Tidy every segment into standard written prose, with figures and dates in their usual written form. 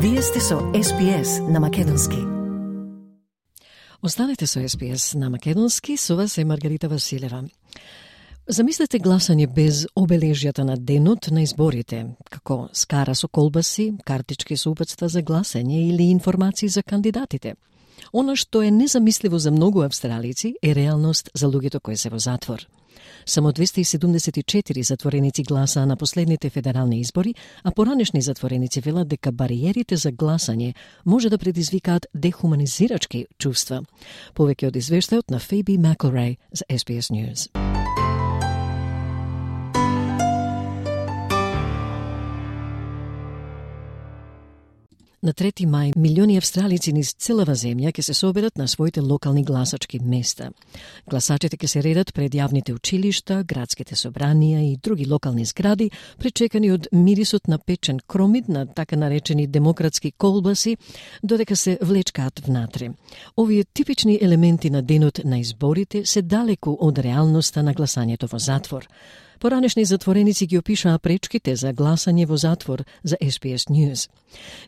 Вие сте со SPS на Македонски. Останете со SPS на Македонски, со вас е Маргарита Василева. Замислете гласање без обележјата на денот на изборите, како скара со колбаси, картички со упатства за гласање или информации за кандидатите. Она што е незамисливо за многу австралици е реалност за луѓето кои се во затвор. Само 274 затвореници гласаа на последните федерални избори, а поранешни затвореници велат дека бариерите за гласање може да предизвикаат дехуманизирачки чувства. Повеќе од извештајот на Фейби Макелрей за SBS News. На 3 мај, милиони австралици низ целава земја ќе се соберат на своите локални гласачки места. Гласачите ќе се редат пред јавните училишта, градските собранија и други локални згради, пречекани од мирисот на печен кромид на така наречени демократски колбаси, додека се влечкаат внатре. Овие типични елементи на денот на изборите се далеку од реалноста на гласањето во затвор. Поранешни затвореници ги опишаа пречките за гласање во затвор за SBS News.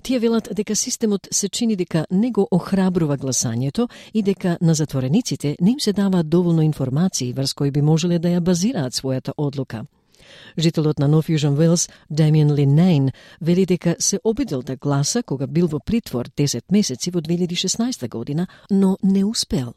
Тие велат дека системот се чини дека не го охрабрува гласањето и дека на затворениците не им се даваат доволно информации врз кои би можеле да ја базираат својата одлука. Жителот на North Fusion Wales, Damien Linnane, вели дека се обидел да гласа кога бил во притвор 10 месеци во 2016 година, но не успел.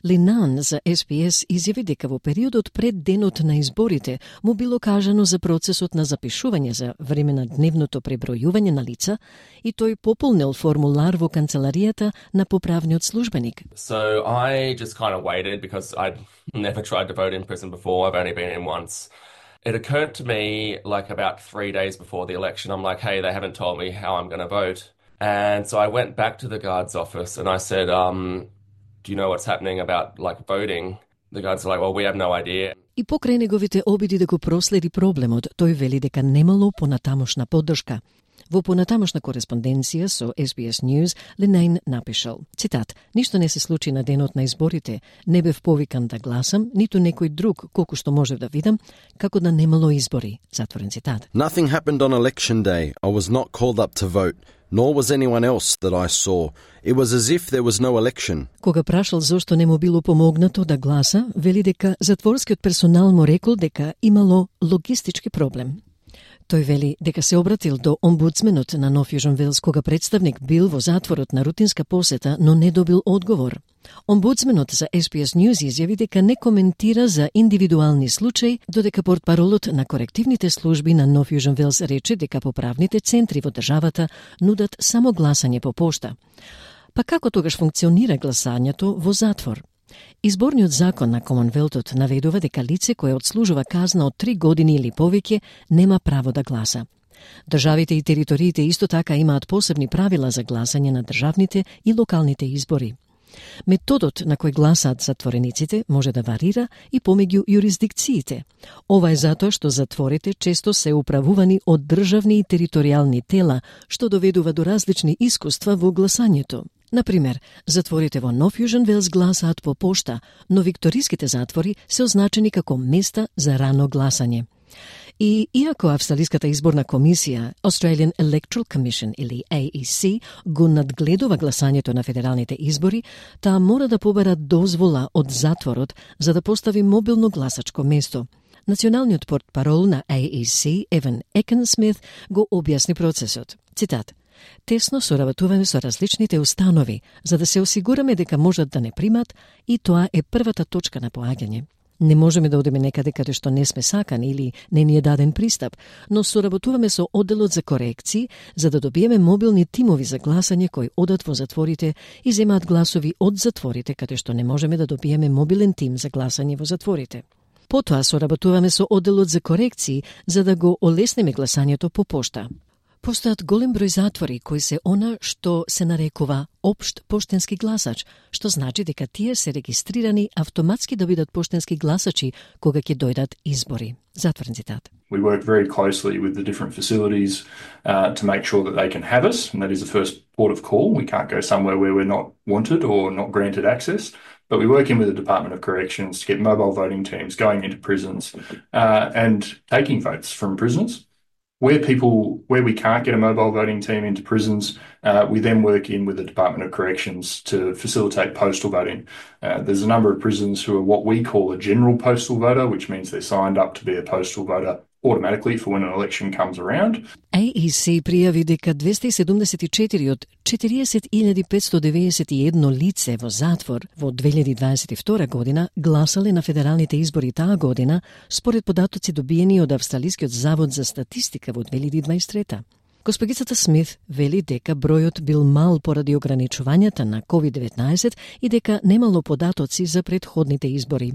Линан за SPS изјави дека во периодот пред денот на изборите му било кажано за процесот на запишување за време на дневното пребројување на лица и тој пополнил формулар во канцеларијата на поправниот службеник. So I just kind of waited because I'd never tried to vote in prison before. I've only been in once. It occurred to me like about 3 days before the election. I'm like, hey, they haven't told me how I'm going to vote. And so I went back to the guard's office and I said, do you know what's happening about like voting? The guards are like, well, we have no idea. И покрај неговите обиди да го проследи проблемот, тој вели дека немало понатамошна поддршка. Во понатамошна кореспонденција со SBS News, Ленайн напишал, цитат, ништо не се случи на денот на изборите, не бев повикан да гласам, ниту некој друг, колку што можев да видам, како да немало избори, затворен цитат. Nothing happened on election day. I was not called up to vote. Nor was anyone else that I saw. It was as if there was no election. Кога прашал зошто не му било помогнато да гласа, вели дека затворскиот персонал му рекол дека имало логистички проблем. Тој вели дека се обратил до омбудсменот на North Fusion Wales кога представник бил во затворот на рутинска посета, но не добил одговор. Омбудсменот за SBS News изјави дека не коментира за индивидуални случаи, додека портпаролот на корективните служби на North Fusion Wales рече дека поправните центри во државата нудат само гласање по пошта. Па како тогаш функционира гласањето во затвор? Изборниот закон на Комонвелтот наведува дека лице кое одслужува казна од 3 години или повеќе нема право да гласа. Државите и териториите исто така имаат посебни правила за гласање на државните и локалните избори. Методот на кој гласаат затворениците може да варира и помеѓу јурисдикциите. Ова е затоа што затворите често се управувани од државни и територијални тела, што доведува до различни искуства во гласањето. Например, затворите во North Fusion Wales гласаат по пошта, но викториските затвори се означени како места за рано гласање. И иако Австралиската изборна комисија, Australian Electoral Commission или AEC, го надгледува гласањето на федералните избори, таа мора да побара дозвола од затворот за да постави мобилно гласачко место. Националниот портпарол на AEC, Еван Екенсмит, го објасни процесот. Цитат: тесно соработуваме со различните установи, за да се осигураме дека можат да не примат и тоа е првата точка на поаѓање. Не можеме да одиме некаде каде што не сме сакани или не ни е даден пристап, но соработуваме со одделот за корекции за да добиеме мобилни тимови за гласање кои одат во затворите и земаат гласови од затворите каде што не можеме да добиеме мобилен тим за гласање во затворите. Потоа соработуваме со одделот за корекции за да го олеснеме гласањето по пошта. Постојат голем број затвори кои се она што се нарекува општ поштенски гласач, што значи дека тие се регистрирани автоматски да бидат поштенски гласачи кога ќе дојдат избори. Затворен цитат. We work very closely with the different facilities to make sure that they can have us, and that is the first port of call. We can't go somewhere where we're not wanted or not granted access. But we work in with the Department of Corrections to get mobile voting teams going into prisons and taking votes from prisoners. Where we can't get a mobile voting team into prisons, we then work in with the Department of Corrections to facilitate postal voting. There's a number of prisons who are what we call a general postal voter, which means they're signed up to be a postal voter automatically for when an election comes around. AEC пријави дека 274 од 40.591 лице во затвор во 2022 година гласале на федералните избори таа година, според податоци добиени од Австралискиот завод за статистика во 2023. Госпогицата Смит вели дека бројот бил мал поради ограничувањата на COVID-19 и дека немало податоци за претходните избори.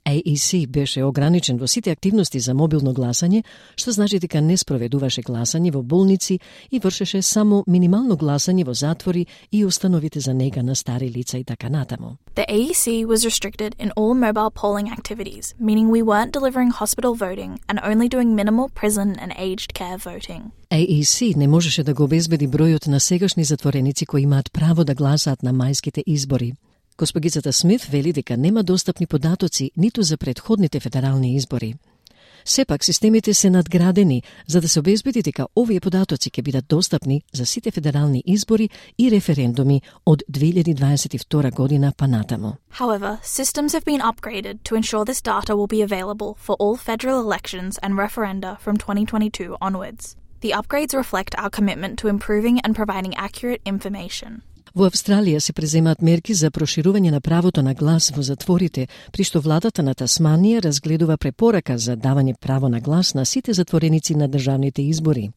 AEC беше ограничен во сите активности за мобилно гласање, што значи дека не спроведуваше гласање во болници и вршеше само минимално гласање во затвори и установите за нега на стари лица и така натаму. The AEC was restricted in all mobile polling activities, meaning we weren't delivering hospital voting and only doing minimal prison and aged care voting. AEC не можеше да го обезбеди бројот на сегашни затвореници кои имаат право да гласаат на мајските избори. Госпогицата Смит вели дека нема достапни податоци ниту за претходните федерални избори. Сепак, системите се надградени за да се обезбеди дека овие податоци ќе бидат достапни за сите федерални избори и референдуми од 2022 година па натаму. However, systems have been upgraded to ensure this data will be available for all federal elections and referenda from 2022 onwards. The upgrades reflect our commitment to improving and providing accurate information. Во Австралија се преземаат мерки за проширување на правото на глас во затворите, при што владата на Тасманија разгледува препорака за давање право на глас на сите затвореници на државните избори.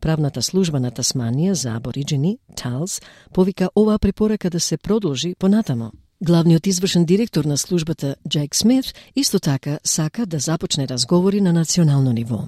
Правната служба на Тасманија за абориджени, ТАЛС, повика оваа препорака да се продолжи понатамо. Главниот извршен директор на службата, Джейк Смит, исто така сака да започне разговори на национално ниво.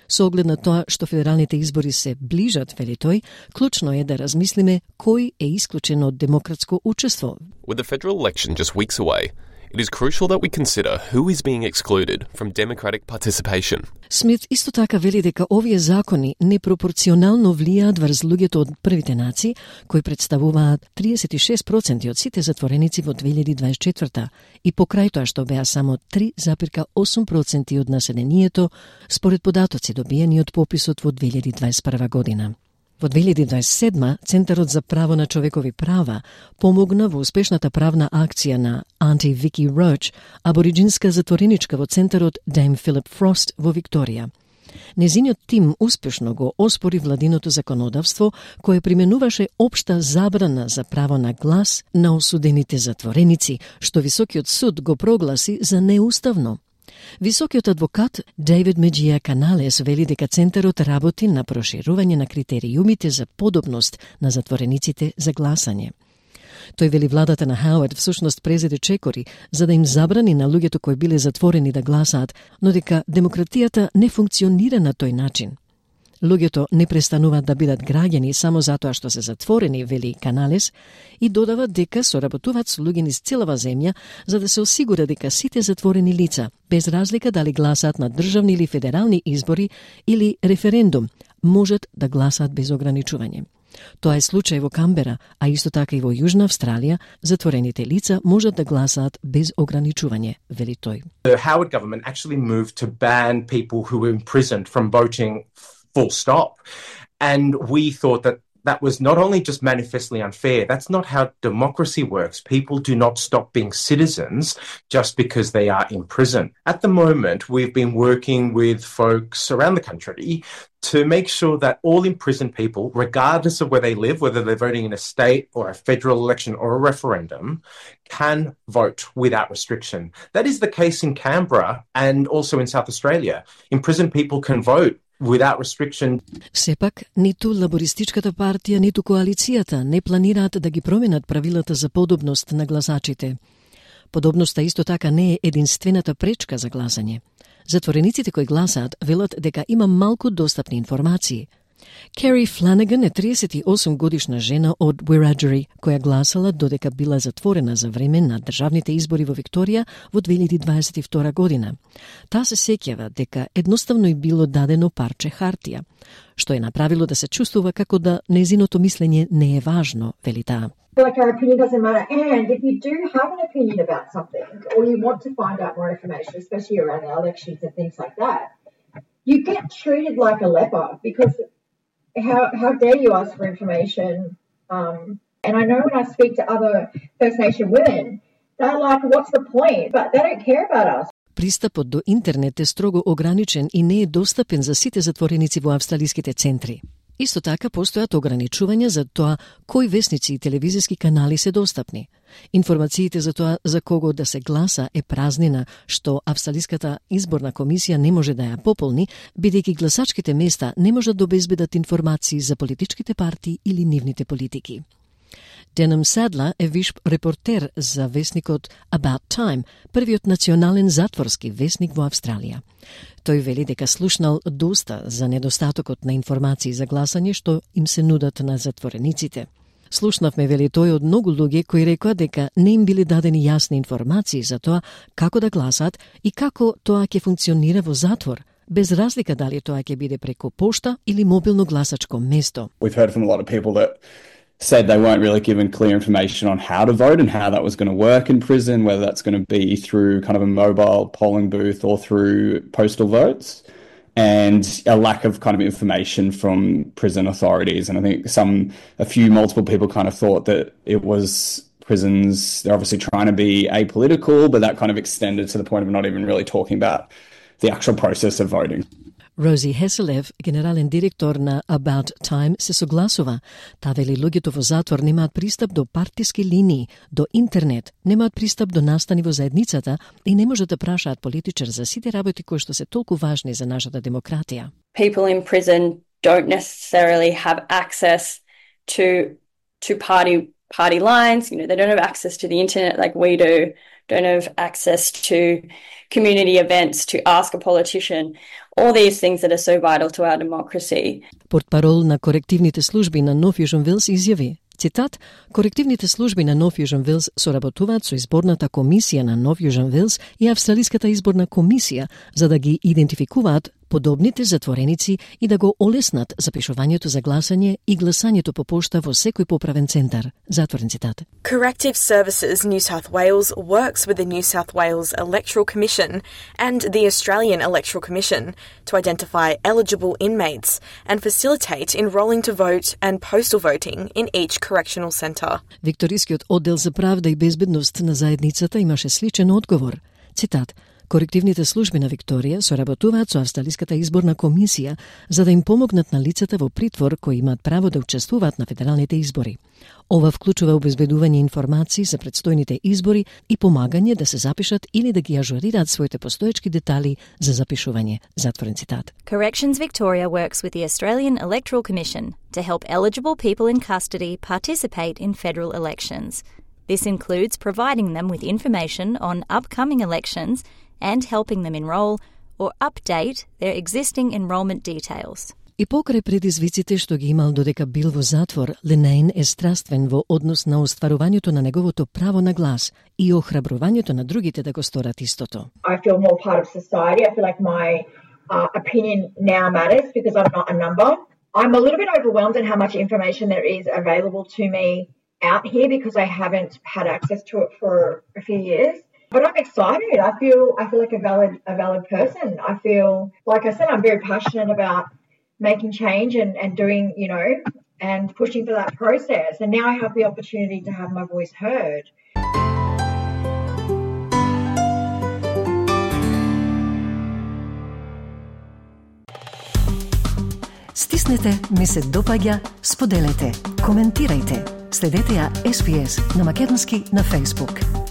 Со оглед на тоа што федералните избори се ближат, вели тој, клучно е да размислиме кој е исклучен од демократско учество. With the federal election just weeks away, it is crucial that we consider who is being excluded from democratic participation. Смит исто така вели дека овие закони непропорционално влијаат врз луѓето од првите нации, кои представуваат 36% од сите затвореници во 2024 и покрај тоа што беа само 3,8% од населението, според податоци добиени од пописот во 2021 година. Во 2027 Центарот за право на човекови права помогна во успешната правна акција на Auntie Vicky Roach, абориджинска затвореничка во Центарот Dame Philip Frost во Викторија. Незиниот тим успешно го оспори владиното законодавство кое применуваше општа забрана за право на глас на осудените затвореници, што Високиот суд го прогласи за неуставно. Високиот адвокат Дейвид Меджија Каналес вели дека Центарот работи на проширување на критериумите за подобност на затворениците за гласање. Тој вели владата на Хауард всушност презеде чекори за да им забрани на луѓето кои биле затворени да гласаат, но дека демократијата не функционира на тој начин. Луѓето не престануваат да бидат граѓани само затоа што се затворени, вели Каналес, и додава дека соработуваат со луѓе низ целава земја за да се осигура дека сите затворени лица, без разлика дали гласаат на државни или федерални избори или референдум, можат да гласаат без ограничување. Тоа е случај во Камбера, а исто така и во Јужна Австралија, затворените лица можат да гласаат без ограничување, вели тој. The Howard government actually moved to ban people who were imprisoned from voting full stop. And we thought that that was not only just manifestly unfair, that's not how democracy works. People do not stop being citizens just because they are in prison. At the moment, we've been working with folks around the country to make sure that all imprisoned people, regardless of where they live, whether they're voting in a state or a federal election or a referendum, can vote without restriction. That is the case in Canberra and also in South Australia. Imprisoned people can vote without restriction. Сепак, ниту Лабористичката партија, ниту коалицијата не планираат да ги променат правилата за подобност на гласачите. Подобноста исто така не е единствената пречка за гласање. Затворениците кои гласаат велат дека има малку достапни информации. Кери Фланаган е 38 годишна жена од Wiradjuri, која гласала додека била затворена за време на државните избори во Викторија во 2022 година. Таа се сеќава дека едноставно и било дадено парче хартија, што е направило да се чувствува како да незиното мислење не е важно, вели таа. Like our opinion doesn't matter, and if you do have an opinion about something or you want to find out more information, especially around the elections and things like that, you get treated like a leper because how dare you ask for information? And I know when I speak to other First Nation women, they're like, what's the point? But they don't care about us. Пристапот до интернет е строго ограничен и не е достапен за сите затвореници во австралиските центри. Исто така постојат ограничувања за тоа кои весници и телевизиски канали се достапни. Информациите за тоа за кого да се гласа е празнина, што Австралиската изборна комисија не може да ја пополни, бидејќи гласачките места не можат да обезбедат информации за политичките партии или нивните политики. Денем Садла е виш репортер за весникот About Time, првиот национален затворски весник во Австралија. Тој вели дека слушнал доста за недостатокот на информации за гласање што им се нудат на затворениците. Слушнавме, вели тој, од многу луѓе кои рекоа дека не им били дадени јасни информации за тоа како да гласат и како тоа ќе функционира во затвор, без разлика дали тоа ќе биде преку пошта или мобилно гласачко место. We've heard from a lot of people that said they weren't really given clear information on how to vote and how that was going to work in prison, whether that's going to be through kind of a mobile polling booth or through postal votes, and a lack of kind of information from prison authorities. And I think multiple people kind of thought that it was prisons, they're obviously trying to be apolitical, but that kind of extended to the point of not even really talking about the actual process of voting. Рози Хеселев, генерален директор на About Time, се согласува. Та вели луѓето во затвор немаат пристап до партиски линии, до интернет, немаат пристап до настани во заедницата и не можат да прашаат политичар за сите работи кои што се толку важни за нашата демократија. People in prison don't necessarily have access to party lines. You know, they don't have access to the internet like we do. Don't have access to community events to ask a politician. All these things that are so vital to our democracy. Портпарол на корективните служби на Нов Јужен Велс изјави, цитат, корективните служби на Нов Јужен Велс соработуваат со изборната комисија на Нов Јужен Велс и Австралиската изборна комисија за да ги идентификуваат подобните затвореници и да го олеснат запишувањето за гласање и гласањето по пошта во секој поправен центар. Затворен цитат. Corrective Services New South Wales works with the New South Wales Electoral Commission and the Australian Electoral Commission to identify eligible inmates and facilitate enrolling to vote and postal voting in each correctional centre. Викторискиот оддел за правда и безбедност на заедницата имаше сличен одговор. Цитат: Корективните служби на Викторија соработуваат со Австралиската изборна комисија за да им помогнат на лицата во притвор кои имаат право да учествуваат на федералните избори. Ова вклучува обезбедување информации за предстојните избори и помагање да се запишат или да ги ажурираат своите постоечки детали за запишување. Затворен цитат. Corrections Victoria works with the Australian Electoral Commission to help eligible people in custody participate in federal elections. This includes providing them with information on upcoming elections and helping them enroll or update their existing enrolment details. И покрај предизвиците што ги имал додека бил во затвор, Ленейн е страствен во однос на остварувањето на неговото право на глас и охрабрувањето на другите да го сторат истото. I feel more part of society. I feel like my opinion now matters because I'm not a number. I'm a little bit overwhelmed at how much information there is available to me out here because I haven't had access to it for a few years. But I'm excited. I feel like a valid person. I feel, like I said, I'm very passionate about making change and doing, and pushing for that process. And now I have the opportunity to have my voice heard. Стиснете, ми се допаѓа, споделете, коментирајте. Следете ја SPS на Македонски на Facebook.